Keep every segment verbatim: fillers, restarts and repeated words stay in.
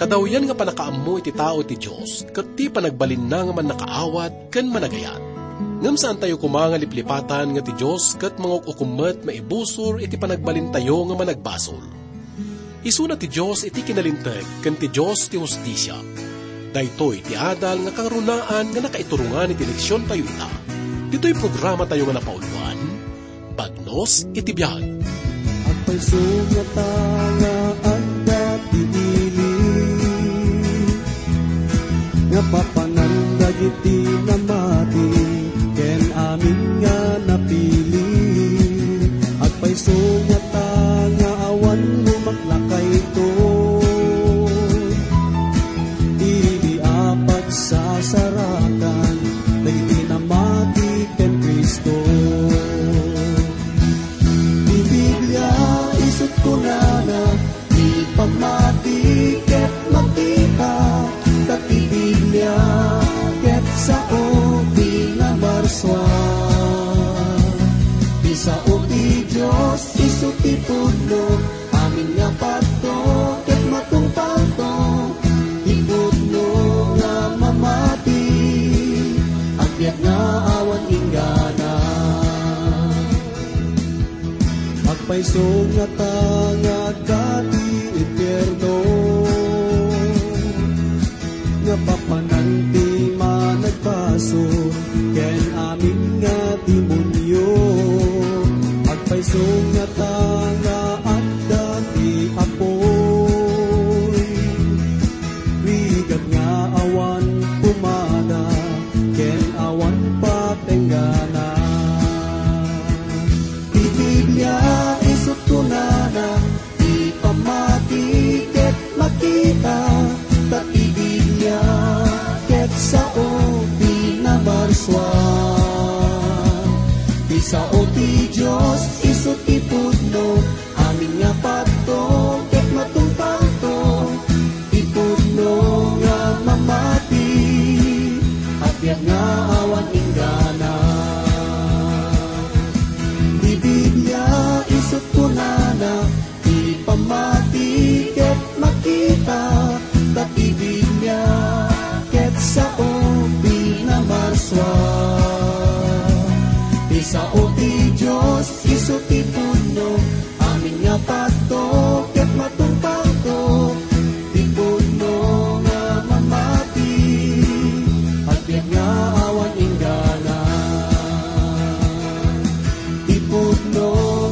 Kadawyan nga pannakaammo iti tao ti Dios ket ti panagbalinna nga mannakaawat ken managayat. Ngem saantayo koma nga liplipatan nga ti Dios ket manguk-ukom met maibusor iti panagbalintayo nga managbasol. Isuna ti Dios iti kinalinteg ken ti Dios ti hustisia. Daytoy ti adal nga kangrunaan nga nakaiturongan iti leksiontayo ita. Ditoy programatayo nga napauloan, Bagnos iti biag. Agpayso ngata nga adda ti ili nga papanan dagiti namati ken amin nga napili. Agpayso ngata nga awan lumaklakayto. Idi a pagsasarakan dagiti namati ken Cristo. Ti Biblia isut' kunana, ti pammati ket makita, ta ti Biblia ket sao ti namarsua. Ti sao ti Dios isu ti pudno, amin nga patto ket matungpalto. Ti pudno nga mamati, agbiag nga awan inggana. Agpayso ngata nga agka ti impierno, nga papanan ti managbasol ken amin nga demonio. Agpayso ngata nga adda ti apoy, rigat nga awan pumada ken awan patenggana. Ti Biblia isut' kunana, ti pammati ket makita, ta ti Biblia ket sao ti namarsua. Ti sao ti Dios isu ti pudno, amin nga patto ket matungpalto. Ti pudno nga mamati, agbiag nga awan inggana. Ti Biblia isut' kunana, ti pammati ket makita, ta ti Biblia ket sao ti namarsua. Ti sao ti Dios isu ti pudno, amin nga patto ket matungpalto. Ti pudno nga mamati, agbiag nga awan inggana. Ti pudno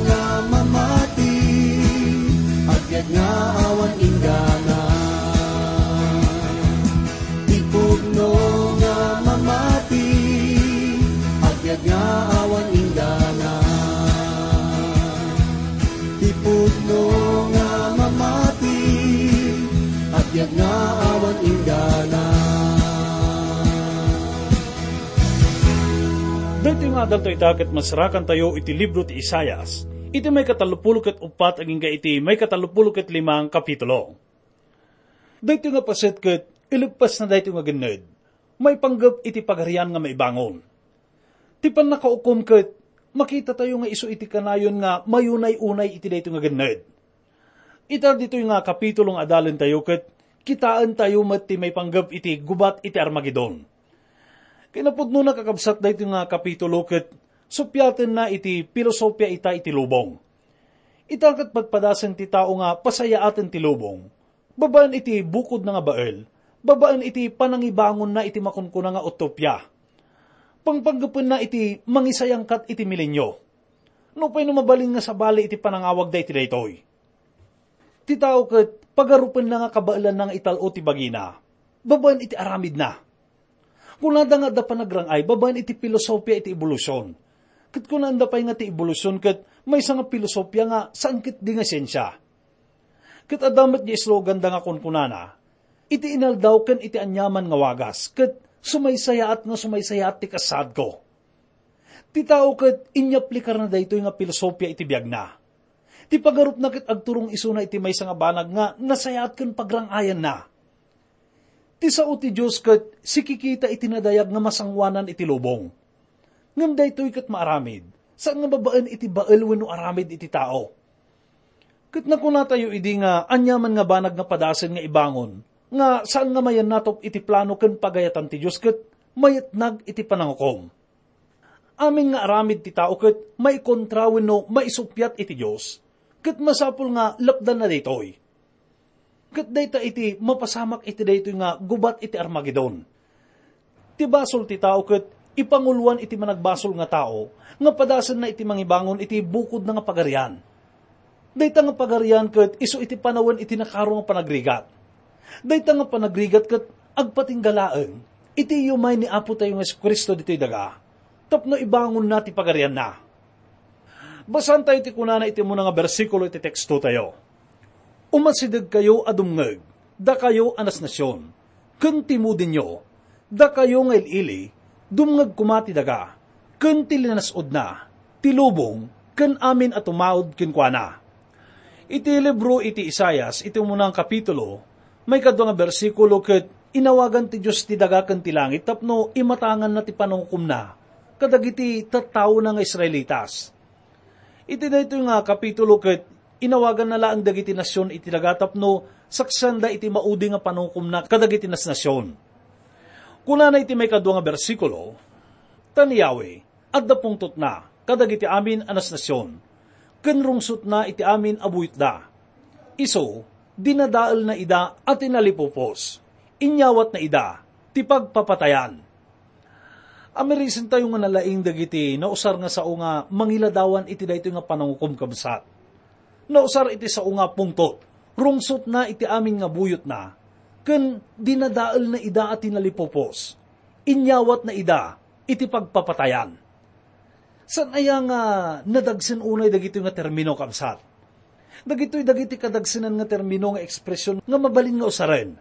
nga mamati, agbiag nga awan inggana. Ti pudno nga mamati, agbiag nga awan inggana. Ti pudno nga mamati, agbiag nga awan inggana. Daytoy nga adaltayo ita ket masarakantayo iti libro ti Isaias, iti maikatallopulo ket uppat agingga iti maikatallopulo ket lima nga kapitulo. Daytoy nga paset ket ileppasna daytoy nga genned, maipanggep iti Pagarian nga maibangon. Ti pannakaukom ket makitatayo nga isu iti kanayon nga mayunay-unay iti daytoy nga genned. Ita ditoy nga kapitulo nga adalentayo ket kitaentayo met ti maipanggep iti gubat iti Armagedon. Kinapudnona, kakabsat, daytoy nga kapitulo ket suppiatenna iti pilosopia ita iti lubong. Ita ket padpadasen ti tao nga pasayaaten ti lubong, babaen iti bukodna nga bael, babaen iti panangibangonna iti makunkuna nga utopia. Pangpanggepenna iti mangisayangkat iti milenio. Nupay no mabalin nga sabali iti panangawagda iti daytoy. Ti tao ket pagarupenna nga kabaelanna nga ital-o ti bagina, babaen iti aramidna. Kunada nga adda panagrang-ay babaen iti pilosopia iti ebolusyon. Ket kunaenda pay nga ti ebolusyon ket maysa nga pilosopia nga saan ketdi nga siensia. Ket adda met ti esloganda nga kunkunana, "Iti inaldaw ken iti aniaman nga wagas, ket sumaysayaat nga sumaysayaat ti kasaadko." Ti tao ket inyaplikarna daytoy nga pilosopia iti biagna. Ti pagarupna ket agturong isuna iti maysa nga banag nga nasayaat ken pagrang-ayanna. Ti sao ti Dios ket sikikita iti nadayag nga masangoanan iti lubong. Ngem daytoy ket maaramid, saan nga babaen iti bael wenno aramid iti tao. Ket nakunatayo idi nga aniaman nga banag nga padasen nga ibangon, nga saan nga mayannatop iti plano ken pagayatan ti Dios ket mayatnag iti panangukom. Amin nga aramid ti tao ket maikontra wenno maisuppiat iti Dios, ket masapul nga lapdanna daytoy. Ket dayta iti mapasamak iti daytoy nga gubat iti Armagedon. Ti basol ti tao ket ipanguloan iti managbasol nga tao nga padasenna iti mangibangon iti bukodna nga pagarian. Dayta nga pagarian ket isu iti panawen iti nakaro nga panagrigat. Dayta nga panagrigat ket agpatingga laeng iti iumay ni Apo tayo nga Jesu-Cristo ditoy daga tapno ibangonna ti pagarianna. Basaantayo ti kunana iti umuna nga bersikulo iti teksto tayo. Umasidegkayo a dumngeg, dakayo a nasnasion, ken timudenyo, dakayo nga il-ili, dumngeg koma ti daga, ken ti linas-odna, ti lubong, ken amin a tumaud kenkuana. Iti libro iti Isaias, iti umunang kapitulo, maikadua nga bersikulo ket inawagan ti Dios ti daga ken ti langit tapno imatanganna ti panangukomna kadagiti tattaona nga Israelitas. Iti daytoy nga kapitulo ket inawaganna laeng dagiti nasion iti daga tapno saksianda iti maudi nga panangukomna kadagiti nasnasion. Kunana iti maikadua nga bersikulo, "Ta ni Yahweh, adda pungtotna kadagiti amin a nasnasion, ken rungsotna iti amin a buyotda. Isu, dinadaelna ida a tinalipupos, inyawatna ida ti pagpapatayan." Amirisentayo nga nalaing dagiti nausar nga sao nga mangiladawan iti daytoy nga panangukom, kabsat. Nausar iti sao nga pungtot, rungsotna iti amin nga buyotna, ken dinadaelna ida a tinalipupos. Inyawatna ida iti pagpapatayan. Saan aya nga nadagsen unay dagitoy nga termino, kabsat? Dagitoy dagiti kadagsenan nga termino nga ekspresion nga mabalin nga usaren.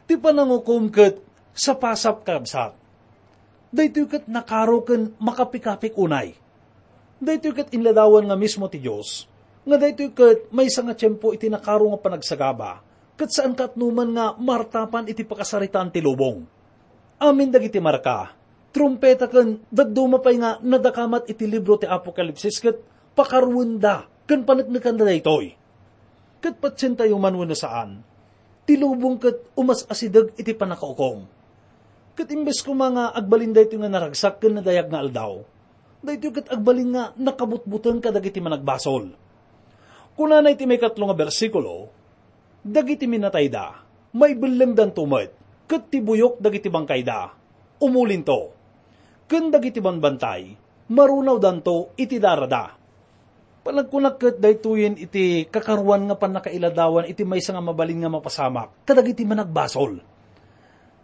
Ti panangukom ket sapasap, kabsat. Daytoy ket nakaro ken makapikapik unay. Daytoy ket inladawan nga mismo ti Dios, nga daytoy ket maysa nga tiempo iti nakaro nga panagsagaba, ket saan katnoman nga martapan iti pakasaritaan ti lubong. Amin dagiti marka, trumpeta ken dadduma pay nga nadakamat iti libro ti Apokalipsis ket pakaruenda ken paneknekanda daytoy. Ket patientayo man wenno saan, ti lubong ket umas-asideg iti pannakaukom. Ket imbes koma nga agbalin daytoy nga naragsak ken nadayag nga aldaw, daytoy ket agbalin nga nakabutbuteng kadagiti managbasol. Kunana iti maikatlo nga bersikulo, "Dagiti minatayda, maibellengdanto met, ket ti buyok dagiti bangkayda, umulinto. Ken dagiti banbantay, marunawdanto iti darada." Panagkunak ket daytoyen iti kakaruan nga pannakailadawan iti maysa nga mabalin nga mapasamak kadagiti managbasol.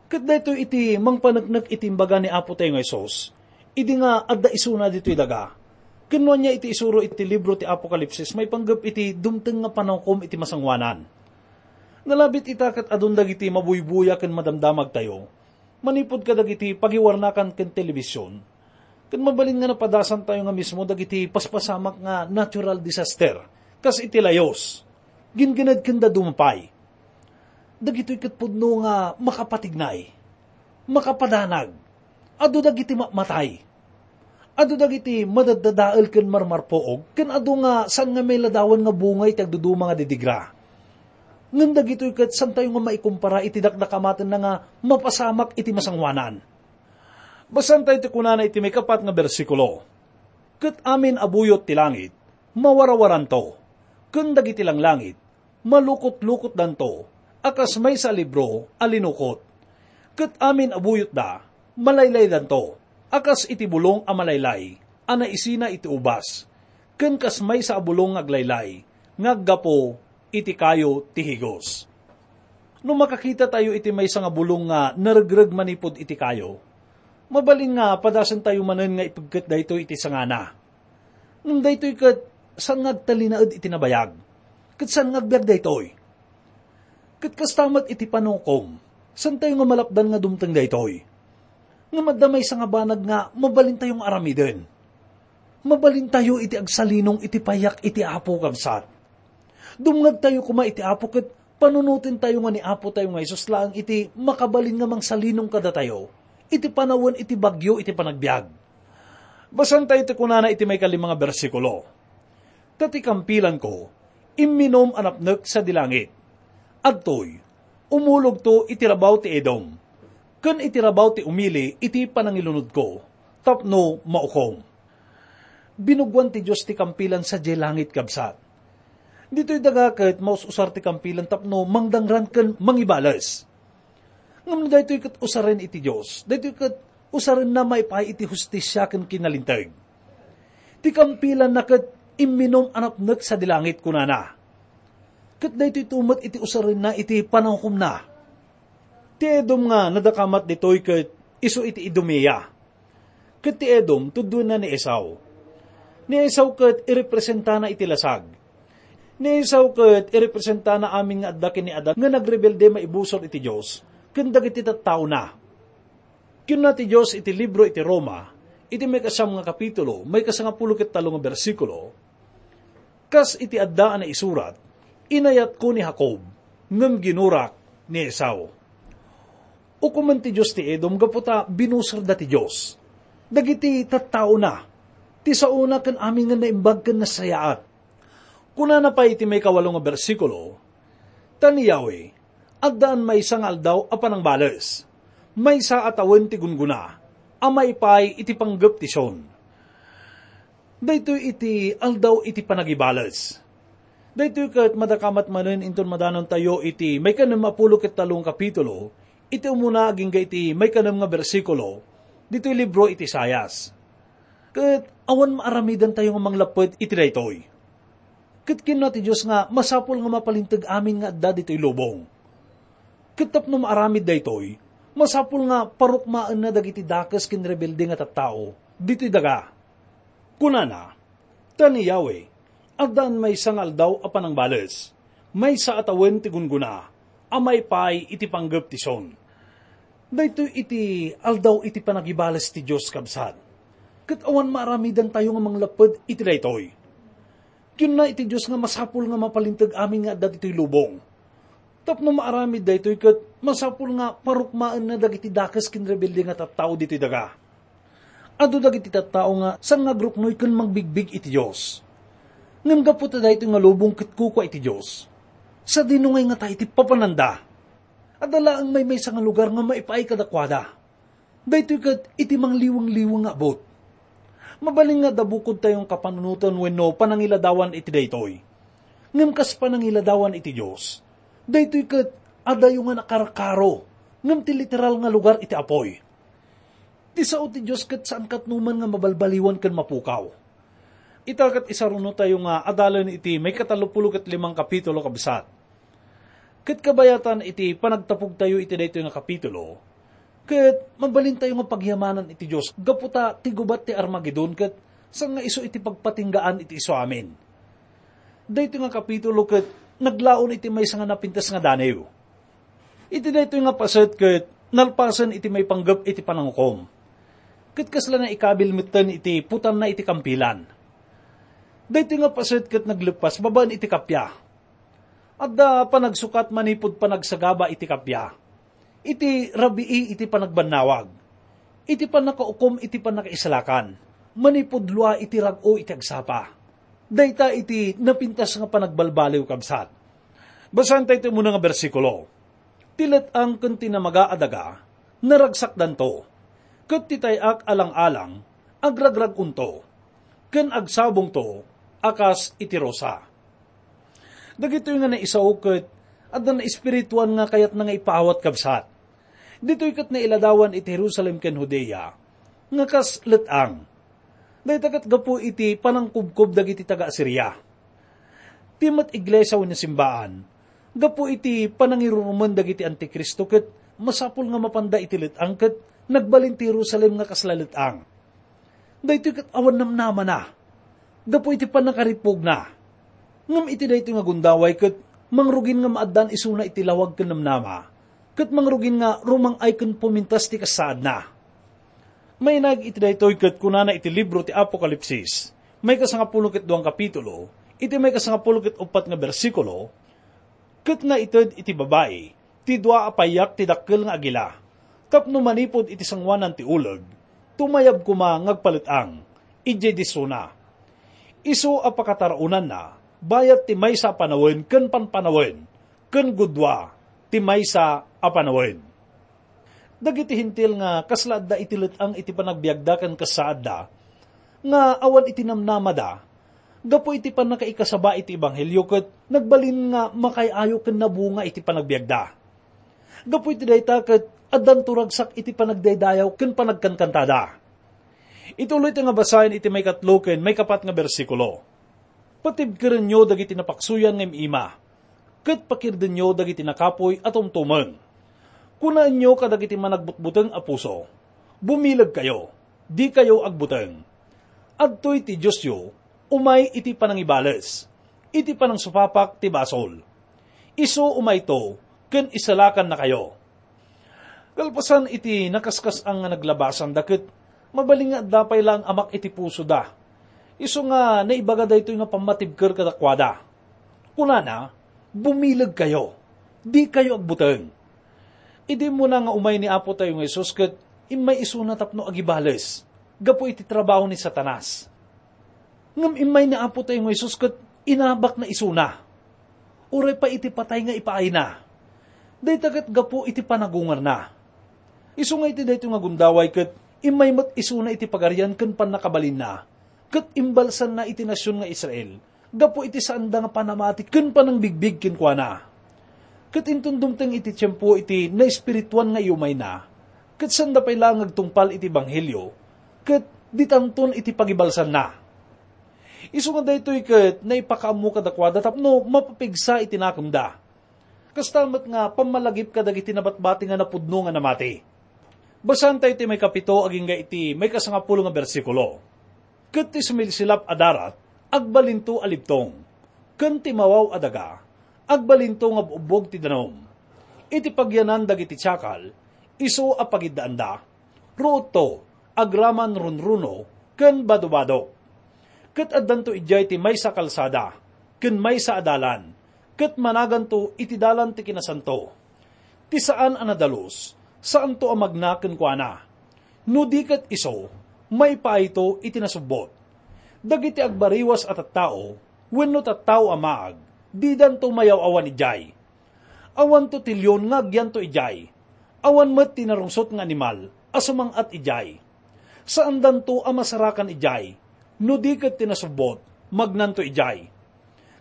Ket daytoy iti mangpaneknek iti imbaga ni Apo tayo nga Jesus, idi nga adda isuna ditoy daga. Ken no ania iti isuro iti libro ti Apokalipsis maipanggep iti dumteng nga panangukom iti masangoanan. Nalabit ita ket adun dagiti mabuybuya ken madamdamagtayo manipud kadagiti pagiwarnakan ken telebision, ket mabalin nga napadasantayo nga mismo dagiti paspasamak nga natural disaster, kas iti layos, ginggined ken dadduma pay. Dagitoy ket pudno nga makapatignay, makapadanag, adu dagiti matmatay. Adu dagiti madaddadael ken marmarpuog, ken adu nga saan nga mailadawan nga bunga iti agduduma nga didigra. Ngem dagitoy ket saantayo nga maikumpara iti dakdakamatenna nga mapasamak iti masangoanan. Basaantayo ti kunana iti maikapat nga bersikulo, "Ket amin a buyot ti langit, mawarawaranto, ken dagiti langlangit, malukotlukotdanto a kas maysa a libro a linukot. Ket amin a buyotda, malaylaydanto a kas iti bulong a malaylay a naisina iti ubas, ken kas maysa a bulong nga aglaylay nga aggapu iti kayo ti higos." No makakitatayo iti maysa nga bulong nga naregreg manipud iti kayo, mabalin nga padasentayo manen nga ipegket daytoy iti sangana. Ngem daytoy ket saan nga agtalinaed iti nabayag, ket saan nga agbiag daytoy. Ket kasta met iti panangukom, saantayo nga malapdan nga dumteng daytoy. Ngem adda maysa nga banag nga mabalintayo nga aramiden. Mabalintayo iti agsalinong iti payak iti Apo, kabsat. Dumngegtayo koma iti Apo ket panunotentayo nga ni Apo tayo nga Jesus laeng iti makabalin nga mangsalinong kadatayo iti panawen iti bagyo iti panagbiag. Basaantayo ti kunana iti maikalima nga bersikulo, "Ta ti kampilanko, imminum a napnek sadi langit. Adtoy, Umulogto iti rabaw ti Edom, ken iti rabaw ti umili iti panangilunodko, tapno maukom. Binugwan ti Dios ti kampilan sadiay langit, kabsat. Ditoy daga ket maus-usar ti kampilan tapno mangdangran ken mangibales. Ngem no daytoy ket usaren iti Dios, daytoy ket usarenna maipaay iti hustisia ken kinalinteg. Ti kampilanna ket imminum a napnek sadi langit, kunana. Ket daytoy met iti usarenna iti panangukomna. Ti Edom nga nadakamat ditoy ket isu iti Idumea. Ket ti Edom, tuddoenna ni Esau. Ni Esau ket irepresentana iti lasag. Ni Esau ket irepresentana amin nga adda ken ni Adan nga nagrebelde maibusor iti Dios ken dagiti tattaona. Kinuna ti Dios iti libro iti Roma, iti maikasiam nga kapitulo, maikasangapulo ket tallo nga bersikulo, "Kas iti adda a naisurat, 'Inayatko ni Jacob, ngem ginurak ni Esau.'" Ukomen ti Dios ti Edom gapu ta binusorda ti Dios. Dagiti tattaona, ti saona ken amin nga naimbag ken nasayaat. Kunana pay iti maikawalo nga bersikulo, "Ta ni Yahweh, addaan maysa nga aldaw a panangbales, maysa a tawen ti gunggona, a maipaay iti panggep ti Sion." Daytoy iti aldaw iti panagibales. Daytoy ket madakamat manen inton madanontayo iti maikanem a pulo ket tallo nga kapitulo, iti umuna agingga iti maikanem nga bersikulo, ditoy libro iti Isaias. Ket awan maaramidantayo nga manglapped iti daytoy. Ket kinuna ti Dios nga masapul nga mapalinteg amin nga adda ditoy lubong. Ket tapno maaramid daytoy, masapul nga parukmaenna dagiti dakes ken rebelde nga tattao ditoy daga. Kunana, "Ta ni Yahweh, addaan maysa nga aldaw a panangbales, maysa a tawen ti gunggona, a maipaay iti panggep ti Sion." Daytoy iti aldaw iti panagibales ti Dios, kabsat. Ket awan maaramidantayo nga manglapped iti daytoy. Kinuna iti Dios nga masapul nga mapalinteg amin nga adda ditoy lubong. Tapno maaramid daytoy ket masapul nga parukmaenna dagiti dakes ken rebelde nga tattao ditoy daga. Adu dagiti tattao nga sangagruknoy ken mangbigbig iti Dios. Ngem gapu ta daytoy nga lubong ket kukua iti Dios, sadino ngay ngata iti papananda? Adda laeng maymaysa nga lugar nga maipaay kadakuada. Daytoy ket iti mangliwengweng nga abut. Mabalin nga adda bukodtayo nga kapanunotan wenno panangiladawan iti daytoy. Ngem kas panangiladawan iti Dios, daytoy ket adayo nga nakarkaro, ngem ti literal nga lugar iti apuy. Ti sao ti Dios ket saan katnoman nga mabalbaliwan ken mapukaw. Ita ket isarunotayo nga adalen iti maikatallopulo ket limang kapitulo, kabsat. Ket kabayatan iti panagtapogtayo iti daytoy nga kapitulo, ket mabalintayo nga pagyamanan iti Dios gapu ta ti gubat ti Armagedon ket saan nga isu iti pagpatinggaan iti isuamin. Daytoy nga kapitulo ket naglaon iti maysa nga napintas nga danew. Iti daytoy nga paset ket nalpasen iti maipanggep iti panangukom. Ket kasla naikabil metten iti putanna iti kampilan. Daytoy nga paset ket nagleppas babaen iti kappia. Adda panagsukat manipud panagsagaba iti kappia, iti rabii iti panagbannawag, iti pannakaukom iti pannakaisalakan, manipud lua iti rag-o iti agsapa. Dayta iti napintas nga panagbalbaliw, kabsat. Basaentayo ti umuna nga bersikulo. Ti let-ang ken ti namaga a daga, naragsakdanto, ket ti tay-ak a lang-alang, agragrag-onto, ken agsabongto a kas iti rosa. Dagitoy nga naisao ket adda naespirituan nga kayatna nga ipaawat, kabsat. Ditoy ket nailadawan iti Jerusalem ken Judea nga kas let-ang. Dayta ket gapu iti panangkubkob dagiti taga-Asiria. Ti met iglesia wenno simbaan, gapu iti panangirurumen dagiti antikristo ket masapul nga mapanda iti let-ang ket nagbalin ti Jerusalem nga kasla let-ang. Daytoy ket awan namnamana gapu iti pannakaripugna. Ngem iti daytoy nga gundaway ket mangrugin nga maaddaan isuna iti lawag ken namnama, ket mangrugin nga rumang-ay ken pumintas ti kasaadna. Mainaig iti daytoy ket kunana iti libro ti Apokalipsis, maikasangapulo ket duang kapitulo, iti maikasangapulo ket uppat nga bersikulo, "Ket naited iti babai ti dua a payak ti dakkel nga agila, tapno manipud iti sangoanan ti uleg, tumayab koma nga agpalet-ang idiay disona. Isu a pakataraonanna bayat ti maysa a panawen ken panpanawen, ken gudua, ti maysa a panawen. Dagiti Hentil nga kasla adda iti let-ang iti panagbiagda ken kasaadda, nga awan iti namnamada, gapu iti pannakaikasaba iti ebanghelio ket nagbalin nga makaay-ayo ken nabunga iti panagbiagda. Gapu iti dayta ket addanto ragsak iti panagdaydayaw ken panagkankantada. Ituloy ti nga basaen iti maikatlo ken maikapat nga bersikulo. Patibkerenyo dagiti napaksuyan nga im-ima, ket pakirdenyo dagiti nakapuy a tumtumeng. Kunaenyo kadagiti managbutbuteng a puso, "Bumilegkayo, dikayo agbuteng. Adtoy ti Diosyo, umay iti panangibales, iti panangsupapak ti basol. Isu umayto ken isalakannakayo." Kalpasan iti nakaskas-an nga naglabasanda ket mabalin nga adda pay laeng amak iti pusoda. Isu nga naibaga daytoy nga pammatibker kadakuada. Kunana, "Bumilegkayo, dikayo agbuteng." Idi immuna nga umay ni Apo tayo nga Jesus ket immay isuna tapno agibales gapu iti trabaho ni Satanas. Ngem immay ni Apo tayo nga Jesus ket inabakna isuna. Uray pay iti patay nga ipaayna. Dayta ket gapu iti panagungarna. Isu nga iti daytoy nga gundaway ket immay met isuna iti pagarian ken pannakabalinna, ket imbalsanna iti nasion nga Israel gapu iti saanda nga panamati ken panangbigbig kenkuana. Ket inton dumteng iti tiempo iti naespirituan nga iyumayna, ket saanda pay laeng nga agtungpal iti ebanghelio, ket ditanton iti pagibalsanna. Isu nga daytoy ket naipakaammo kadakuada tapno mapapigsa iti nakemda. Kasta met nga pammalagip kadagiti nabatbati nga napudno nga namati. Basaentayo ti maikapito agingga iti maikasangapulo nga bersikulo. "Ket ti sumilsilap a darat, agbalinto a libtong, ken ti mawaw a daga, agbalinto nga bugbog ti danum. Iti pagyanan dagiti tiakal, isu a pagiddaanda, ruotto, agraman runruno, ken badobadok. Ket addanto idiay ti maysa a kalsada, ken maysa a dalan, ket managanto iti dalan ti kinasanto. Ti saan a nadalus, saanto a magna kenkuana. No di ket isu, maipaayto iti nasubbot. Dagiti agbariwas a tattao wenno tattao a maag, didanto mayaw-awan idiay. Awanto ti leon nga agyanto idiay. Awan met ti narungsot nga animal a sumang-at idiay. Saandanto a masarakan idiay. No di ket ti nasubbot, magnanto idiay.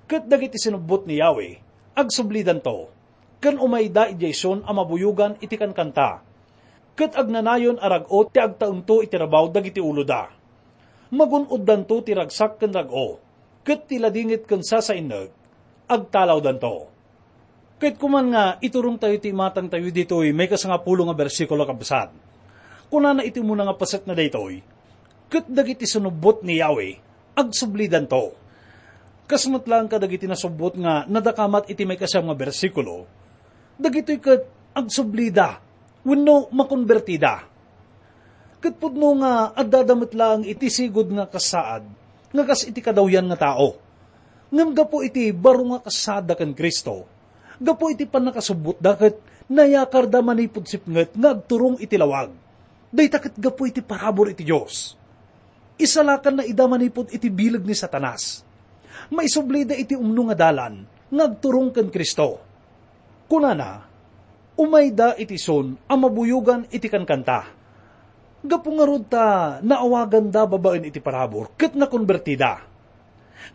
Ket dagiti sinubbot ni Yahweh, agsublidanto, ken umayda idiay Sion a mabuyogan iti kankanta. Ket agnanayon a rag-o ti agtaengto iti rabaw dagiti uloda. Magun-oddanto ti ragsak ken rag-o, ket ti ladingit ken sasainnek, agtalawdanto." Ket kuman nga iturongtayo ti imatangtayo ditoy maikasangapulo nga bersikulo, kabsat. Kunana iti umuna nga paset na daytoy, "Ket dagiti sinubbot ni Yahweh, agsublidanto." Kas met laeng kadagiti nasubbot nga nadakamat iti maikasiam nga bersikulo, dagitoy ket agsublida wenno makonbertida. Ket pudno nga addada met laeng iti sigud nga kasaad nga kas iti kadawyan nga tao. Ngem gapu iti baro nga kasaadda ken Cristo, gapu iti pannakasubbotda ket nayakarda manipud sipnget nga agturong iti lawag. Dayta ket gapu iti parabur iti Dios. Isalakanna ida manipud iti bileg ni Satanas. Maisublida iti umno nga dalan nga agturong ken Cristo. Kunana, "Umayda iti Sion a mabuyogan iti kankanta." Gapu ngarud ta naawaganda babaen iti parabur ket nakonbertida.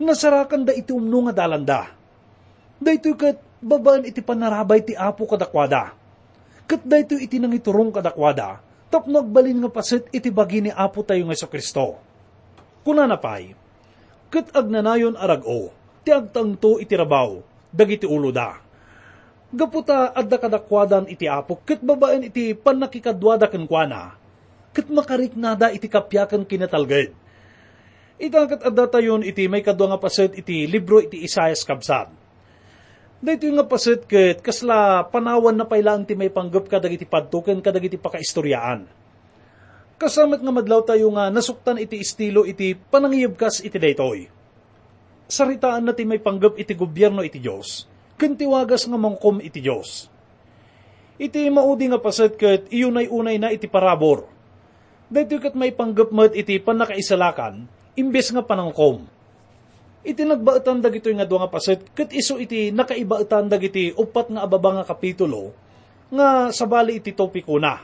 Nasarakanda iti umno nga dalanda. Daytoy ket babaen iti pannarabay ti Apo kadakuada. Ket daytoy iti nangiturong kadakuada tapno agbalin nga paset iti bagi ni Apo tayo nga Jesu-Cristo. Kunana pay, "Ket agnanayon a rag-o ti agtaengto iti rabaw dagiti uloda." Gapu ta adda kadakuadan iti Apo ket babaen iti pannakikaduada kenkuana, ket makariknada iti kappia ken kinatalged. Ita ket addatayon iti maikadua nga paset iti libro iti Isaias, kabsat. Daytoy nga paset ket kasla panawanna pay laeng ti maipanggep kadagiti padto ken kadagiti pakaistoriaan. Kasta met nga madlawtayo nga nasuktan iti estilo iti panangiyebkas iti daytoy. Saritaanna ti maipanggep iti gobierno iti Dios ken ti wagas nga mangukom iti Dios. Iti maudi nga paset ket iyunay-unayna iti parabur. Daytoy ket maipanggep met iti pannakaisalakan imbes nga panangukom. Iti nagbaetan dagitoy nga dua nga paset ket isu iti nakaibaetan dagiti uppat nga ababa nga kapitulo nga sabali iti topikona.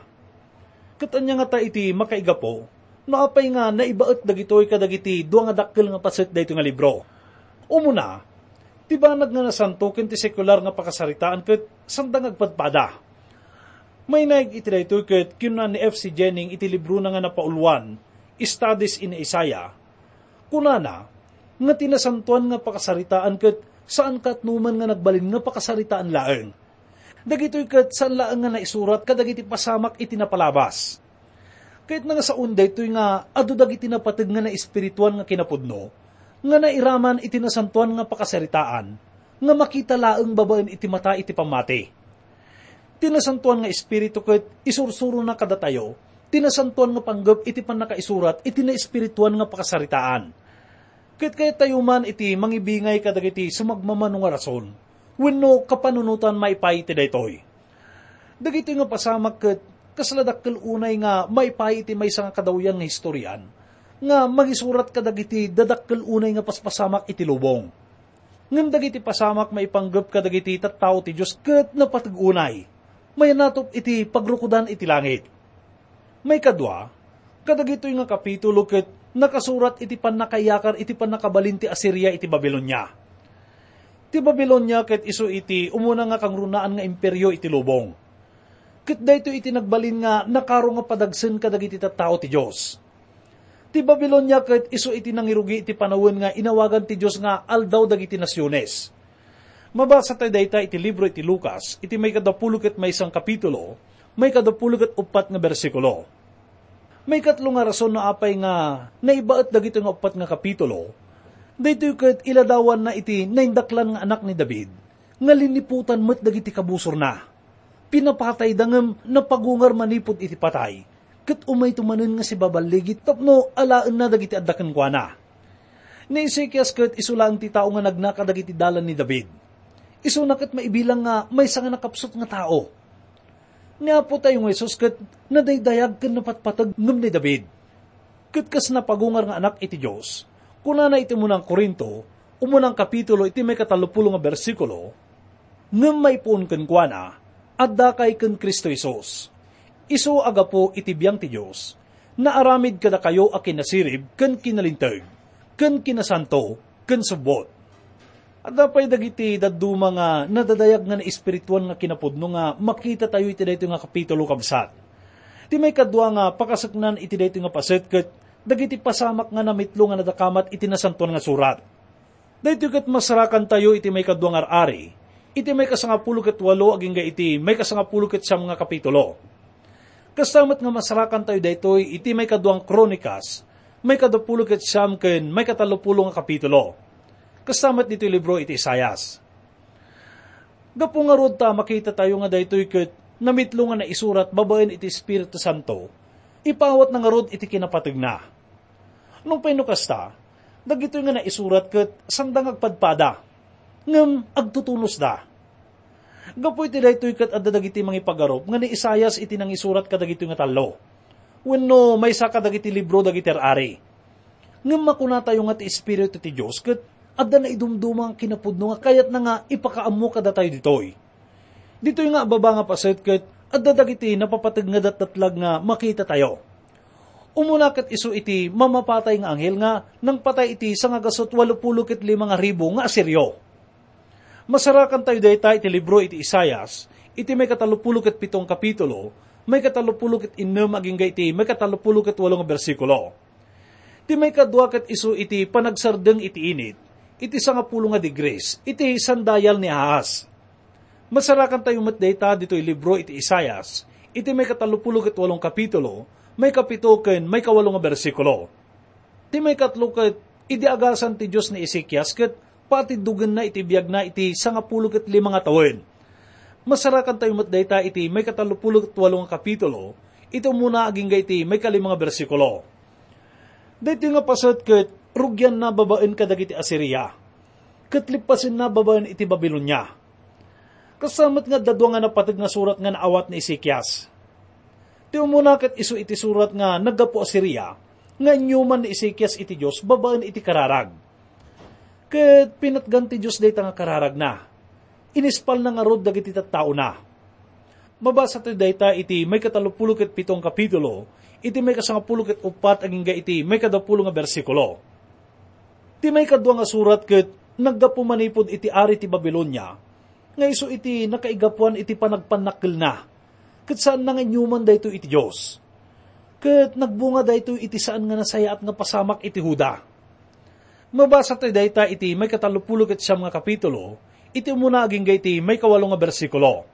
Ket ania ngata iti makaigapu no apay nga naibaet dagitoy kadagiti dua nga dakkel nga paset daytoy nga libro? Umuna, ti banag nga nasanto ken ti sekular nga pakasaritaan ket sanda nga agpadpada. Mainaig iti daytoy ket kinuna ni F C Jennings iti librona nga napauluan, Studies in Isaiah, kunana nga ti nasantoan nga pakasaritaan ket saan ket no man nga nagbalin nga pakasaritaan laeng. Dagitoy ket saan laeng nga naisurat kadagiti pasamak iti napalabas. Kayatna nga saoen daytoy nga adu dagiti napateg nga naespirituan nga kinapudno nga nairaman iti nasantoan nga pakasaritaan nga makita laeng babaen iti mata iti pammati. Ti nasantoan nga Espiritu ket isursurona kadatayo ti nasantoan nga panggep iti pannakaisurat iti naespirituan nga pakasaritaan. Ket kayatayo man iti mangibingay kadagiti sumagmamano nga rason wenno kapanunotan maipaay iti daytoy. Dagitoy nga pasamak ket kasla dakkel unay nga maipaay iti maysa nga kadawyan nga historian nga mangisurat kadagiti dadakkel unay nga paspasamak iti lubong. Ngem dagiti pasamak maipanggep kadagiti tattao ti Dios ket napateg unay, mayanatop iti pagrukodan iti langit. Maikadua, kadagitoy nga kapitulo ket nakasurat iti pannakaiyakar iti pannakabalin ti Asiria iti Babilonia. Ti Babilonia ket isu iti umuna nga kangrunaan nga imperio iti lubong. Ket daytoy iti nagbalin nga nakaro nga padagsen kadagiti tattao ti Dios. Ti Babilonia ket isu iti nangirugi iti panawen nga inawagan ti Dios nga aldaw dagiti nasiones. Mabasa tayo dayta iti libro iti Lucas, iti maikadapulo ket maysa nga kapitulo, maikadapulo ket uppat nga bersikulo. Maikatlo nga rason no apay nga naibaet dagitoy nga uppat nga kapitulo, daytoy ket iladawanna iti naindaklan nga anak ni David, nga liniputan met dagiti kabusorna. Pinapatayda ngem napagungar manipud iti patay, ket umayto manen nga sibaballigi tapno alaenna dagiti adda kenkuana. Ni Ezekias ket isu laeng ti tao nga nagna kadagiti dalan ni David. Isuna ket maibilang nga maysa nga nakapsut nga tao. Ni Apo tayo nga Jesus ket nadaydayag ken napatpateg ngem ni David. Ket kas napagungar nga anak iti Dios, kunana iti umuna nga Corinto, umuna nga kapitulo iti maikatallopulo nga bersikulo, "Ngem maipuon kenkuana, addakay ken Cristo Jesus. Isu a gapu iti biang ti Dios, naaramid kadakayo a kinasirib ken kinalinteg, ken kinasanto, ken subbot." Adda pay dagiti dadduma nga nadadayag nga naespirituan nga kinapudno nga makita tayo iti daytoy nga kapitulo, kabsat. Ti maikadua nga pakaseknan iti daytoy nga paset ket dagiti pasamak nga namitlo nga nadakamat iti Nasantoan nga Surat. Daytoy ket masarakan tayo iti maikadua nga ar-ari, iti maikasangapulo ket walo agingga iti maikasangapulo ket siam nga kapitulo. Kasta met nga masarakan tayo daytoy iti maikadua nga Kronikas, maikadapulo ket siam ken maikatallopulo nga kapitulo. Kasta met ditoy libro iti Isaias. Gapu ngarud ta makita tayo nga daytoy ket namitlo nga naisurat babaen iti Espiritu Santo, ipaawatna ngarud iti kinapategna. Nupay no kasta, dagitoy nga naisurat ket sanda nga agpadpada, ngem agtutunosda. Gapu iti daytoy ket adda dagiti mangipagarup nga ni Isaias iti nangisurat kadagitoy nga tallo, wenno maysa kadagiti libro dagiti ar-ari. Ngem makunatayo nga ti Espiritu ti Dios ket adda naidumduma nga kinapudno nga kayatna nga ipakaammo kadatayo ditoy. Ditoy nga ababa nga paset ket adda dagiti napapateg nga datdatlag nga makita tayo. Umuna ket isu iti mamapatay nga anghel nga nangpatay iti sangagasut walupulo ket lima nga ribu nga Asirio. Masarakan tayo dayta iti libro iti Isaias, iti maikatallopulo ket pito nga kapitulo, maikatallopulo ket innem agingga iti maikatallopulo ket walo nga bersikulo. Ti maikadua ket isu iti panagsardeng iti init, iti sangapulo nga degrees, iti sandayal ni Ahaz. Masarakan tayo met dayta ditoy libro iti Isaias, iti maikatallopulo ket walo nga kapitulo, maikapito ken maikawalo nga bersikulo. Ti maikatlo ket, idi agasan ti Dios ni Ezekias ket patiddogenna iti biagna iti sangapulo ket lima nga tawen. Masarakan tayo met dayta iti maikatallopulo ket walo nga kapitulo, iti umuna agingga iti maikalima nga bersikulo. Daytoy nga paset ket rugianna babaen kadagiti Asiria, ket lippasenna babaen iti Babilonia. Kasta met nga adda dua nga napateg nga surat nga naawat ni Ezekias. Ti umuna ket isu iti surat nga naggapu Asiria, nga inyuman ni Ezekias iti Dios babaen iti kararag. Ket pinatgan ti Dios dayta nga kararagna. Inispalna ngarud dagiti tattaona. Mabasa tayo dayta iti maikatalopulo ket pito nga kapitulo, iti maikasangapulo ket uppat agingga iti maikadapulo nga bersikulo. Ti maikadua nga surat ket naggapu manipud iti ari ti Babilonia, nga isu iti nakaigapuan iti panagpannakkelna, ket saanna nga inyuman daytoy iti Dios. Ket nagbunga daytoy iti saan nga nasayaat nga pasamak iti Juda. Mabasa tayo dayta iti maikatalopulo ket siam nga kapitulo, iti umuna agingga iti maikawalo nga bersikulo.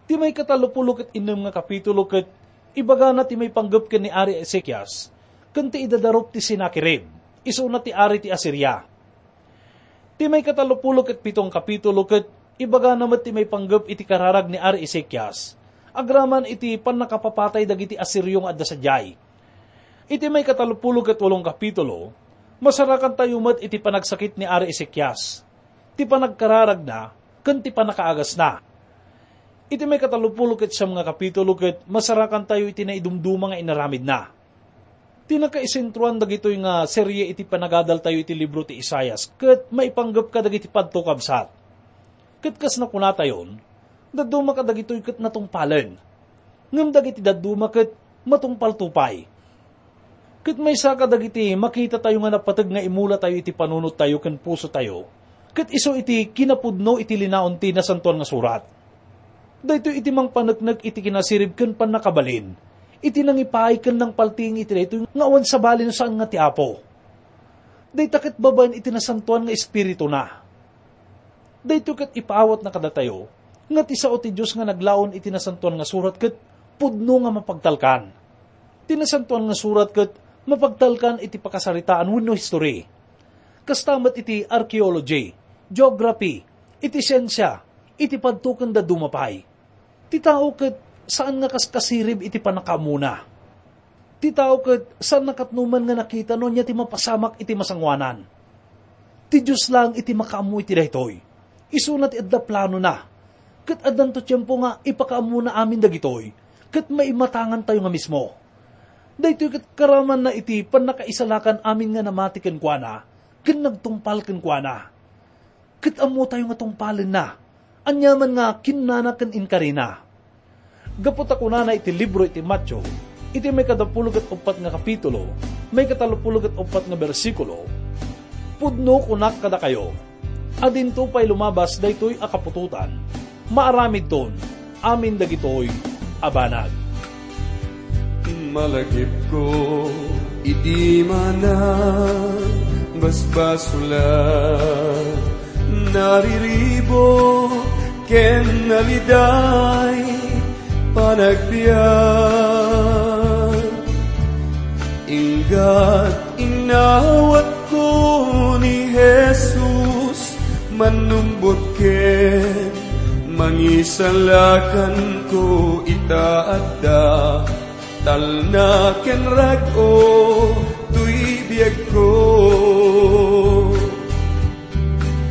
Ti maikatalopulo ket innem nga kapitulo ket ibagana ti maipanggep ken ni Ari Ezekias, ken ti idadarup ti Sennacherib, isuna ti ari ti Asiria. Ti maikatalopulo ket pito nga kapitulo ket ibagana met ti maipanggep iti kararag ni Ari Ezekias, agraman iti pannakapapatay dagiti Asirio nga adda sadiay. Iti maikatalopulo ket walo nga kapitulo, masarakantayo met iti panagsakit ni Ari Ezekias, ti panagkararagna, ken ti pannakaagasna. Iti maikatalopulo ket siam nga kapitulo ket masarakantayo iti naidumduma nga inaramidna. Ti nakaisentroan dagitoy nga serie iti panagadaltayo iti libro ti Isaias ket maipanggep kadagiti padto, kabsat. Ket kas nakunatayon, dadduma kadagitoy ket natungpalen. Ngem dagiti dadduma ket matungpalto pay. Ket maysa kadagiti makitatayo nga napateg nga imulatayo iti panunottayo ken pusotayo, ket isu iti kinapudno iti linaon ti Nasantoan nga Surat. Daytoy iti mangpaneknek iti kinasirib ken pannakabalin, iti nangipaay ken nangpaltiing iti daytoy nga awan sabali no saan nga ti Apo. Dayta ket babaen iti Nasantoan nga Espirituna. Daytoy ket ipaawatna kadatayo nga ti sao ti Dios nga naglaon iti Nasantoan nga Surat ket pudno nga mapagtalkan. Ti Nasantoan nga Surat ket mapagtalkan iti pakasaritaan wenno history. Kasta met iti archaeology, geography, iti siensia, iti padto ken dadduma pay. Ti tao ket saan nga kaskasirib iti pannakaammona. Ti tao ket saan nakatnoman nga nakita no ania ti mapasamak iti masangoanan. Ti Dios laeng iti makaammo iti daytoy. Isuna ti adda planona. Ket addanto tiempo nga ipakaammona amin dagitoy, ket maimatangantayo nga mismo. Daytoy ket karamanna iti pannakaisalakan amin nga namati kenkuana, ken nagtungpal kenkuana. Ket ammotayo nga tungpalenna, aniaman nga kinnana ken inkarina. Gapu ta kunana iti libro iti Mateo, iti maikadapulo ket uppat nga kapitulo, maikatalopulo ket uppat nga bersikulo, "Pudno kunak kadakayo, a dinto pay lumabas daytoy a kaputotan, maaramidton amin dagitoy a banag." Malagipko idi manangbasbasolan, nariribuk ken naliday panagbiag. Inggat inawatko ni Jesus, mannumbot ken mangisalakanko ita adda talna ken rag-o toy biagko.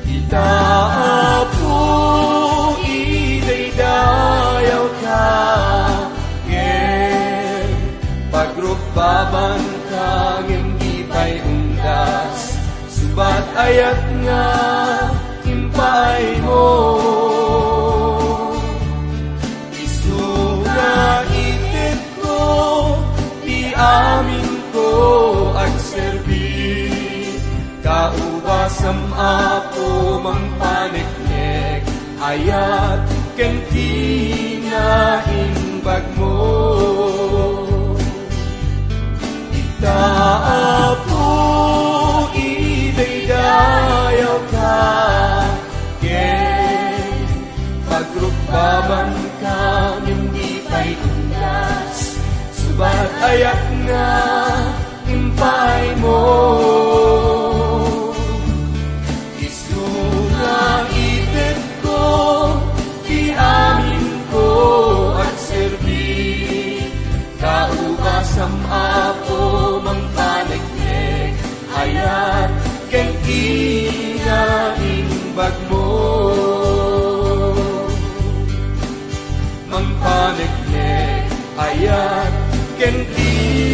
Ita, Apo, idaydayawka, ken pagrukbabanka, ngem di pay undas, subat ayat nga impaaymo. Isu nga itedko ti aminko agserbi. Kaubasam, Apo, mangpaneknek, ayat ken kinaimbagmo. Ita, Apo, idaydayawka, ken pagrukbabanka, ngem di pay undas, subat ayat nga impaaymo. Isu nga itedko ti aminko agserbi. Kaubasam, Apo, mangpaneknek, ayat ken kinaimbagmo. Mangpaneknek, ayat ken kinaimbag